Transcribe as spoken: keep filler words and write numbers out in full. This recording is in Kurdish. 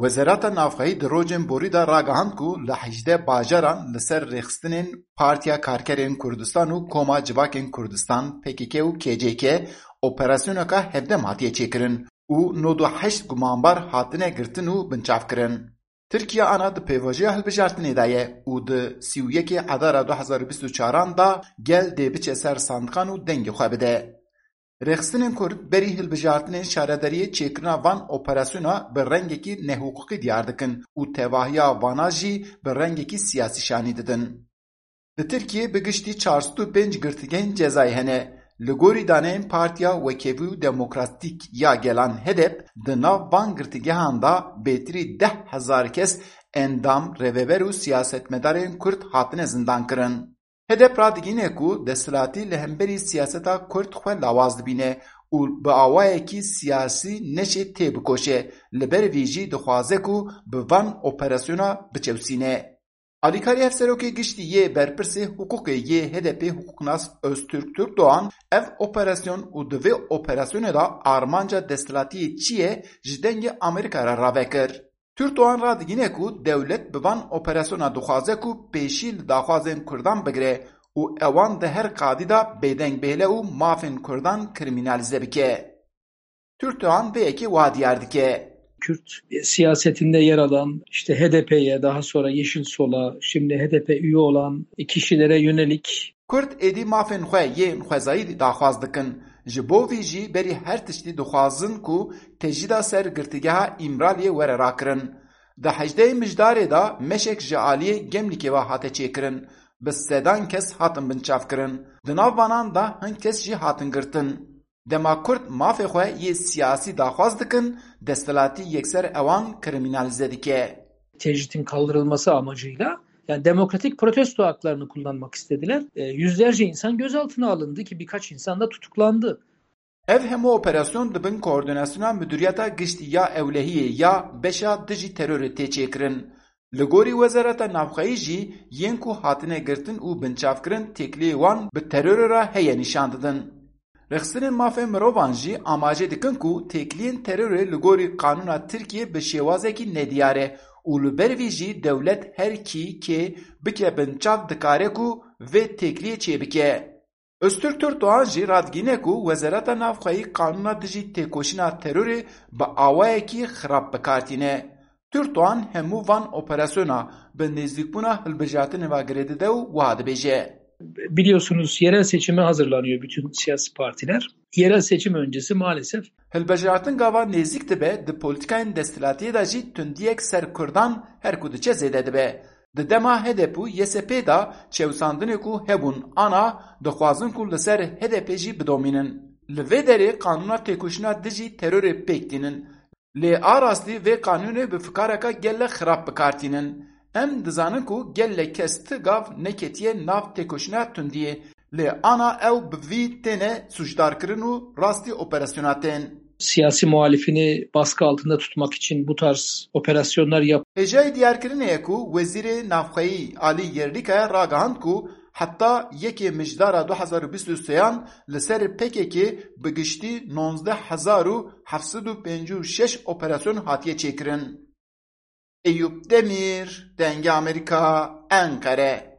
Wezareta Navxweyî di rojên borî de ragihand ku li hejdeh bajaran li ser rêxistinên Partiya Karkerên Kurdistan û Koma Civakên Kurdistan, P K K û K C K, operasyoneke hevdem hatiye çêkirin û nod û heşt gumanbar hatine girtin û binçavkirin. Tirkiye ana di pêvajoya hilbijartinê de ye û di sî û yekê Edara du hezar û bîst û çaran de gel dê biçe ser sandiqan û dengê xwe bide. Rêxistinên Kurd berî hilbijartinên şaredariyê çêkirina van operasyona bi rengekî nehiqûqî diyar dikin û tevahiya vana jî bi rengekî siyasî şanî didin. Li Tirkiyê bi giştî çar sed û pênc girtîgehên cezayî hene. Li gorî daneyên Partiya Wekevî û Demokratîk ya Gelan, HEDEP, di nav van girtîgehan de bêtirî deh hezar kes endam, rêveber û siyasetmedarên Kurd hatine zindankirin. HEDEP radigihîne ku desthilatî li hemberî siyaseta Kurd xwe lawaz dibîne û bi awayekî siyasî neşê têbikoşe, li ber vî jî dixwaze ku bi van operasyona biçewsîne. Alîkarê Hevserokê Giştî yê Berpirsê Hiqûqê yê HEDEPê hiqûqnas Öztürk Türkdoğan ev operasyon û di vê operasyonê de armanca desthilatiyê çi ye ji Dengê Amerîka re rave kir. Türkdoğan radigihîne ku dewlet bi van operasyona dixwaze ku pêşî li daxwazên Kurdan bigire û ewan di her qadî de bêdeng bihêle û mafên Kurdan krîmînalîze bike. Türkdoğan vê yekê wiha diyar dike. Kürt siyasetinde yer alan, işte H D P'ye, daha sonra Yeşil Sol'a, şimdi H D P üye olan kişilere yönelik. Kurd êdî mafên xwe yên xwezayî daxwaz dikin. Ji bo vî jî berî her tiştî dixwazin ku tecrîda ser girtîgeha Îmraliyê were rakirin. Di hejdehê Mijdarê de meşek ji aliyê Gemlîkê ve hate çêkirin. Bi sedan kes hatin binçavkirin. Di nav vanan de hin kes jî hatin girtin. Dema Kurd mafê xwe yê siyasî daxwaz dikin, desthilatî yekser ewan krîmînalîze dike. Tecritin kaldırılması amacıyla, yani demokratik protesto haklarını kullanmak istediler. E, yüzlerce insan gözaltına alındı ki birkaç insan da tutuklandı. Ev hemû operasyon di bin koordînasyona Midûriyeta Giştî ya Ewlehiyê ya Beşa Dijî Terorê tê çêkirin. Li gorî Wezareta Navxweyî jî yên ku hatine girtin û binçavkirin têkiliyê wan bi terorê re heye nîşan didin. Rêxistinên mafên mirovan jî amaje dikin ku têkiliyên terorê li gorî qanûna Tirkiyê bi şêwazekî nediyar e û li ber vî jî dewlet her kî kê bike binçav dikare ku vê têkiliyê çêbike. Öztürk Türkdoğan jî radigihîne ku Wezareta Navxweyî qanûna dijî têkoşîna terorê bi awayekî xirab bi kar tîne. Türkdoğan hemû van operasyona bi nêzîkbûna hilbijartinê ve girê dide û wiha dibêje. Biliyorsunuz yerel seçime hazırlanıyor bütün siyasi partiler. Yerel seçim öncesi maalesef. Hilbijartin gava nêzîk dibe, di polîtîkayên desthilatiyê de jî tundiyek ser Kurdan her ku diçe zêde dibe. Di dema H D P û Y S P de çewsandinê ku hebûn ana dixwazin ku li ser H D P jî bidomînin. Li vê derê qanûna têkoşîna dijî terorê pêk tînin. Lê a rastî vê qanûnê bi fikareka gelek xirab bi kar tînin. Em dizanin ku gelek kes ti gav neketiye nav têkoşîna tundiyê. Lê ana ew bi vî têne sûcdarkirin û rastî operasyona tên. Siyasi muhalifini baskı altında tutmak için bu tarz operasyonlar yap. Hêjayî diyarkirinê ye ku Wezîrê Navxweyî Alî Yerlîkaya ragihand ku heta yekê Mijdara du hezar û bîst û sêyan li ser P K K bi giştî nozdeh hezar û heft sed û pêncî û şeş operasyon hatiye çêkirin. Eyûp Demîr, Dengê Amerîka, Enqere.